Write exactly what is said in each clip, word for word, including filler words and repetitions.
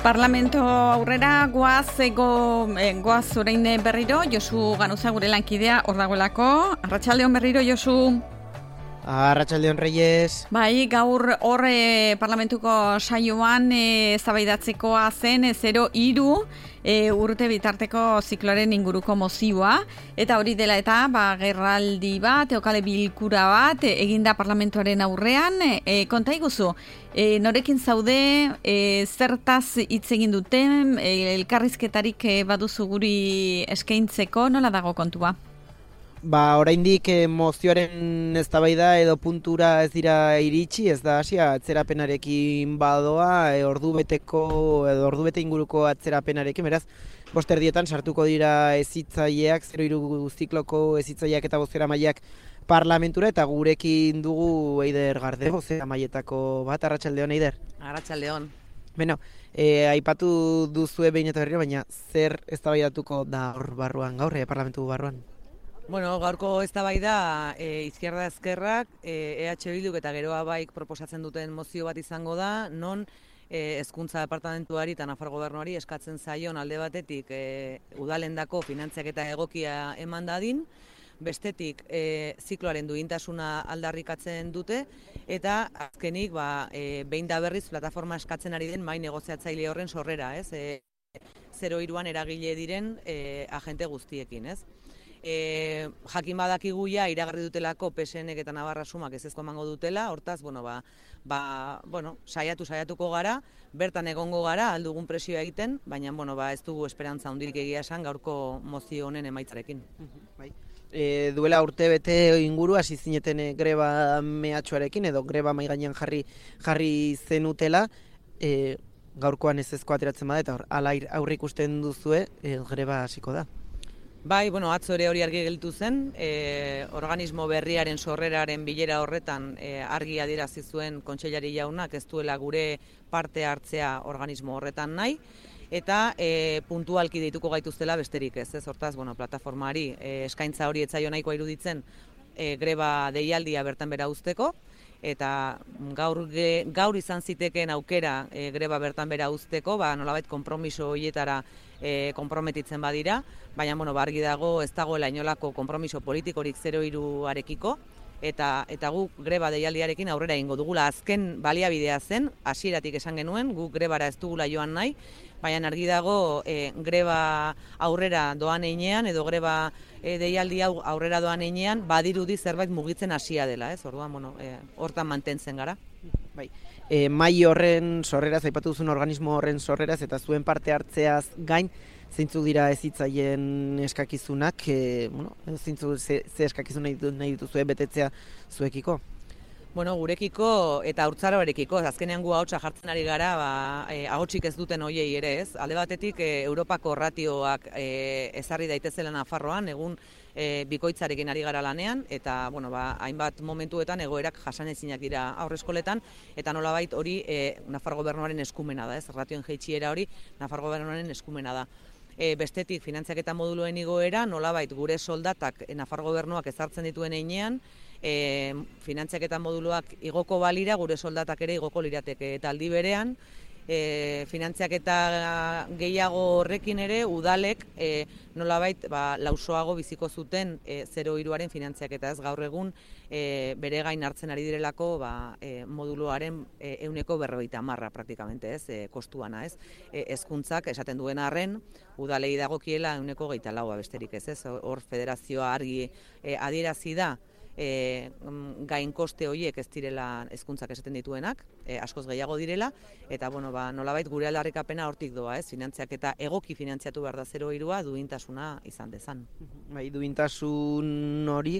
Parlamento aurrera goaz ego eh, goaz orain berriro Josu Ganuza gure lankidea hor dagoelako. Arratsaldeon berriro Josu. Arratsaldeon Reyes. Bai, gaur hor eh, parlamentuko saioan eh, eztabaidatzekoa zen zero hiru e, urte bitarteko zikloaren inguruko mozioa, eta hori dela eta ba, gerraldi bat, eokale bilkura bat e, eginda parlamentuaren aurrean. E, konta iguzu, e, norekin zaude, e, zertaz hitz egin duten, e, elkarrizketarik e, baduzu guri eskaintzeko, nola dago kontua? Ba, oraindik eh, mozioaren eztabaida edo puntura ez dira iritsi, ez da hasia atzerapenarekin badoa, e, ordu beteko edo ordu bete inguruko atzerapenarekin, beraz, bost erdietan sartuko dira hezitzaileak, zero hiru zikloko hezitzaileak eta bozeramaileak parlamentura, eta gurekin dugu Eider Garde, bozeramailetako bat. Arratsaldeon, Eider. Arratsaldeon. Beno, e, aipatu duzue behin eta berriro, baina zer eztabaidatuko da hor barruan gaur, e, parlamentu barruan? Bueno, gaurko eztabaida e, izquierda ezkerrak, e, EH Bilduk eta Geroa Baik proposatzen duten mozio bat izango da, non e, hezkuntza departamentuari eta Nafar gobernuari eskatzen zaion alde batetik e, udalendako finantziaketa egokia eman dadin, bestetik e, zikloaren duintasuna aldarrikatzen dute, eta azkenik ba, e, behin da berriz plataforma eskatzen ari den mai negoziatzaile horren sorrera, ez? E, zero hiruan eragile diren e, agente guztiekin, ez? E, jakin badakigu ja iragarri dutelako P S N eta Navarra Sumak ez ezko emango dutela, hortaz, bueno, ba, ba, bueno, saiatu saiatuko gara, bertan egongo gara, aldugun presioa egiten, baina, bueno, ba, ez dugu esperantza hundirik egia esan gaurko mozio honen emaitzarekin. Bai. E, duela urte bete inguru hasi zineten e, greba mehatxuarekin edo greba mai gainean jarri jarri zenutela, e, gaurkoan ez ezko ateratzen bada eta hor ala aurre ikusten duzue, e, greba hasiko da. Bai, bueno, atzo ere hori argi gelditu zen, e, organismo berriaren sorreraren bilera horretan e, argi adierazi zuen kontseilari jaunak ez duela gure parte hartzea organismo horretan nahi, eta e, puntualki deituko gaituztela besterik ez, ez hortaz, bueno, plataformari e, eskaintza hori etzaio nahikoa iruditzen e, greba deialdia bertan bera uzteko, eta gaur, ge, gaur izan zitekeen aukera e, greba bertan bera uzteko, ba, nolabait konpromiso horietara e, konprometitzen badira, baina bueno, argi dago ez dagoela inolako konpromiso politikorik zero hiruarekiko, eta eta guk greba deialdiarekin aurrera egingo dugula. Azken baliabidea zen, hasieratik esan genuen, guk grebara ez dugula joan nahi, baina argi dago e, greba aurrera doan einean, edo greba e, deialdi hau aurrera doan einean, badirudi zerbait mugitzen hasia dela, ez? Orduan, bueno, e, hortan mantentzen gara. Bai. E, mai horren sorreraz, aipatu duzun organismo horren sorreraz, eta zuen parte hartzeaz gain, zeintzuk dira hezitzaileen eskakizunak, e, bueno, zeintzuk ze, ze eskakizun nahi, nahi dituzue betetzea zuekiko? Bueno, gurekiko eta haurtzaroarekiko, azkenean gu ahotsa jartzen ari gara, ba, e, ahotsik ez duten hoiei ere, ez? Alde batetik e, Europako ratioak e, ezarri daitezela Nafarroan, egun e, bikoitzarekin ari gara lanean, eta bueno, ba, hainbat momentuetan egoerak jasanezinak dira aurreskoletan, eta nolabait hori e, Nafar gobernuaren eskumena da, ez? Ratioen jaitsiera hori Nafar gobernuaren eskumena da. E, bestetik finantziaketa moduluen igoera, nolabait gure soldatak e, Nafar gobernuak ezartzen dituen heinean, E, finantziaketa moduluak igoko balira, gure soldatak ere igoko lirateke, eta aldi berean e, finantziaketa gehiago horrekin ere udalek e, nolabait ba, lausoago biziko zuten e, zero hiruaren finantziaketa, ez gaur egun e, bere gain hartzen ari direlako ba, e, moduluaren e, ehuneko berrogeita hamarra praktikamente, ez, e, kostuana, ez, e, hezkuntzak esaten duen arren, udalei dagokiela ehuneko gehieta laua besterik, ez, ez, hor federazioa argi e, adierazi da, E, gain koste horiek ez direla hezkuntzak esaten dituenak, e, askoz gehiago direla, eta bueno, ba, nolabait gure aldarrikapena hortik doa, ez, finantziaketa egoki finantziatu behar da zero hirua duintasuna izan dezan. Bai, duintasun hori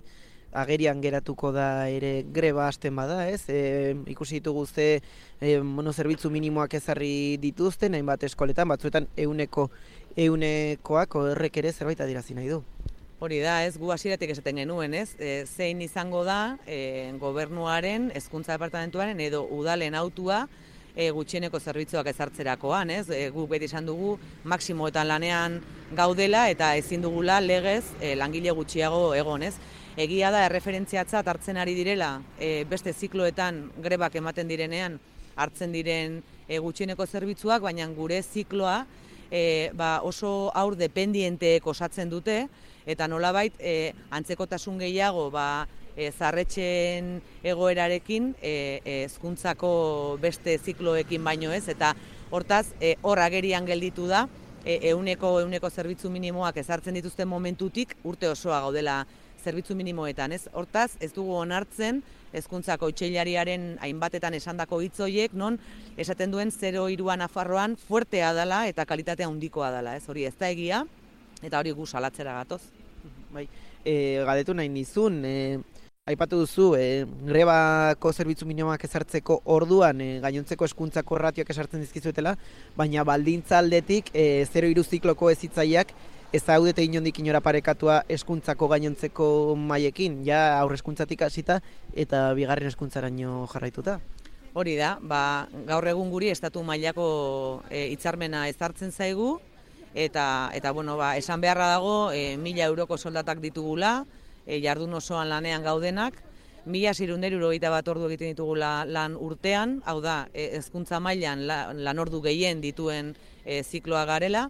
agerian geratuko da ere greba hasten bada, ez? E, ikusi ditugu ze e, bueno, zerbitzu minimoak ezarri dituzten, hainbat eskoletan, batzuetan ehuneko ehunekoak horrek ere zerbait adierazi nahi du. Hori da, ez, gu hasieratik esaten genuen, ez, e, zein izango da e, gobernuaren, hezkuntza departamentuaren edo udalen autua e, gutxieneko zerbitzuak ezartzerakoan, ez, e, guk beti esan dugu maximoetan lanean gaudela eta ezin dugula legez e, langile gutxiago egon, ez. Egia da erreferentziatzat hartzen ari direla e, beste zikloetan grebak ematen direnean hartzen diren e, gutxieneko zerbitzuak, baina gure zikloa e, ba, oso haur dependienteek osatzen dute, eta nolabait e, antzekotasun gehiago ba, e, zarretxen egoerarekin hezkuntzako e, e, beste zikloekin baino ez, eta hortaz e, hor agerian gelditu da, e, euneko, euneko zerbitzu minimoak ezartzen dituzten momentutik urte osoa gaudela zerbitzu minimoetan, ez? Hortaz, ez dugu onartzen hezkuntzako otsailariaren hainbatetan esandako hitz horiek, non esaten duen zero hiruan Nafarroan fuertea dela eta kalitatea handikoa dela, ez? Hori ez da egia, eta hori gu salatzera gatoz. Bai, e, galdetu nahi nizun, e, aipatu duzu, e, grebako zerbitzu minimoak ezartzeko orduan e, gainontzeko hezkuntzako ratioak esartzen dizkizuetela, baina baldintza aldetik e, zero hiru zikloko hezitzaileak ez daudete inondik inora parekatua hezkuntzako gainontzeko mailekin, ja aurre hezkuntzatik hasita eta bigarren hezkuntzaraino jarraituta. Hori da, ba, gaur egun guri estatu mailako e, hitzarmena ezartzen zaigu, eta, eta bueno, ba, esan beharra dago e, mila euroko soldatak ditugula, e, jardun osoan lanean gaudenak, mila seiehun eta hirurogeita bat ordu egiten ditugula lan urtean, hau da, hezkuntza mailan la, lan ordu gehien dituen e, zikloa garela,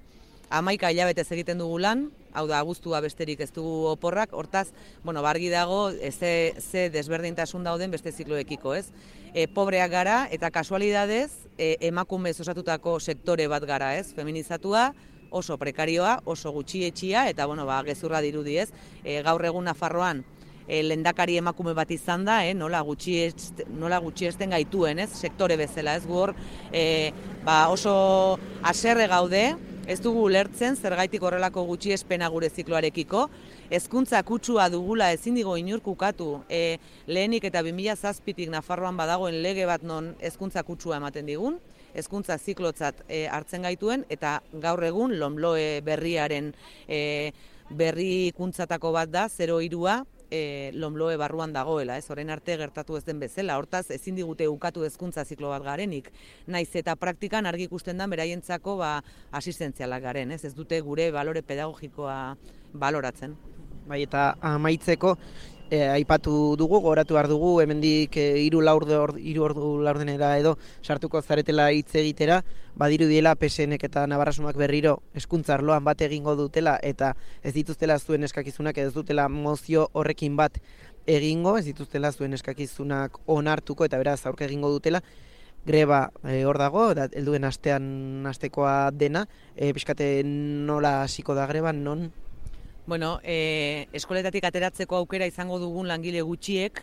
hamaika hilabetez egiten dugu lan, hau da, abuztua besterik ez dugu oporrak, hortaz, bueno, bargi dago, ze, ze desberdintasun dauden beste zikloekiko, ez? E, pobreak gara, eta kasualidadez, e, emakumez osatutako sektore bat gara, ez? Feminizatua, oso prekarioa, oso gutxietxia, eta, bueno, ba, gezurra dirudi, ez? E, gaur egun Nafarroan, e, lehendakari emakume bat izan da, eh? nola gutxiesten, nola gutxiesten gaituen, ez? Sektore bezala, ez? Gu hor, e, ba, oso haserre gaude, ez dugu ulertzen zergaitik horrelako gutxiespena gure zikloarekiko. Hezkuntza kutsua dugula ezin digo inurk ukatu. E, lehenik eta bi mila zazpitik Nafarroan badagoen lege bat non hezkuntza kutsua ematen digun, hezkuntza ziklotzat e, hartzen gaituen, eta gaur egun LOMLOE berriaren e, berrikuntzatako bat da, zero hirua, E, LOMLOE barruan dagoela, ez orain arte gertatu ez den bezala. Hortaz, ezin digute ukatu hezkuntza ziklo bat garenik. Naiz eta praktikan argi ikusten da beraientzako ba asistentzialak garen, ez? Ez dute gure balore pedagogikoa baloratzen. Bai, eta amaitzeko e, aipatu dugu, goratu behar dugu, hemendik hiru e, laurde hiru ordu laurdenera edo sartuko zaretela hitz egitera, badirudiela P S Nek eta Navarrasumak berriro hezkuntza arloan bat egingo dutela eta ez dituztela zuen eskakizunak edo ez dutela mozio horrekin bat egingo, ez dituztela zuen eskakizunak onartuko eta beraz aurka egingo dutela. Greba e, hor dago, da, helduen astean astekoa dena, e, pixkate nola hasiko da greba, non? Bueno, e, eskoletatik ateratzeko aukera izango dugun langile gutxiek,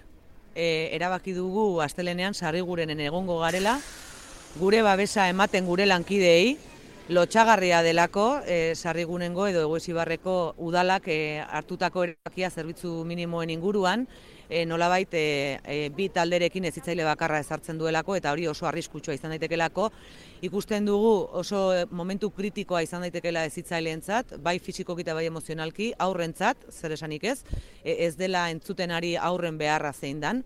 e, erabaki dugu astelenean sarrigurenen egongo garela, gure babesa ematen gure lankideei, lotxagarria delako e, sarrigunengo edo Egoizibarreko udalak e, hartutako erabakia zerbitzu minimoen inguruan, e, nolabait e, e, bi talderekin hezitzaile bakarra ezartzen duelako, eta hori oso arriskutsua izan daitekelako. Ikusten dugu oso momentu kritikoa izan daitekela hezitzaileentzat, bai fisikoki eta bai emozionalki, aurrentzat, zer esanik ez, e, ez dela entzuten ari aurren beharra zein dan.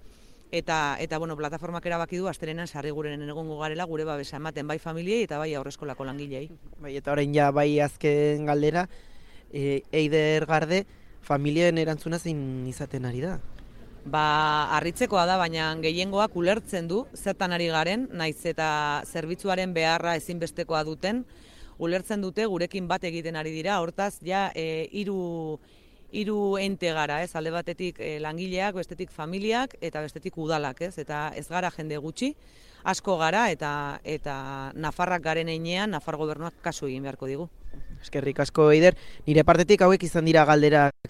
Eta, eta bueno, plataformak erabaki du astelehenan sarrigurenen egongo garela gure babesa ematen bai familiei eta bai aurreskolako langilei. Bai, eta orain ja bai azken galdera, e, Eider Garde, familien erantzuna zein izaten ari da? Ba, harritzekoa da, baina gehiengoak ulertzen du zertan ari garen, naiz eta zerbitzuaren beharra ezinbestekoa duten, ulertzen dute gurekin bat egiten ari dira, hortaz ja e, hiru hiru ente gara, ez, alde batetik e, langileak, bestetik familiak eta bestetik udalak, ez, eta ez gara jende gutxi, asko gara eta eta Nafarrak garen heinean Nafar gobernuak kasu egin beharko digu. Eskerrik asko, Eider. Nire partetik hauek izan dira galderak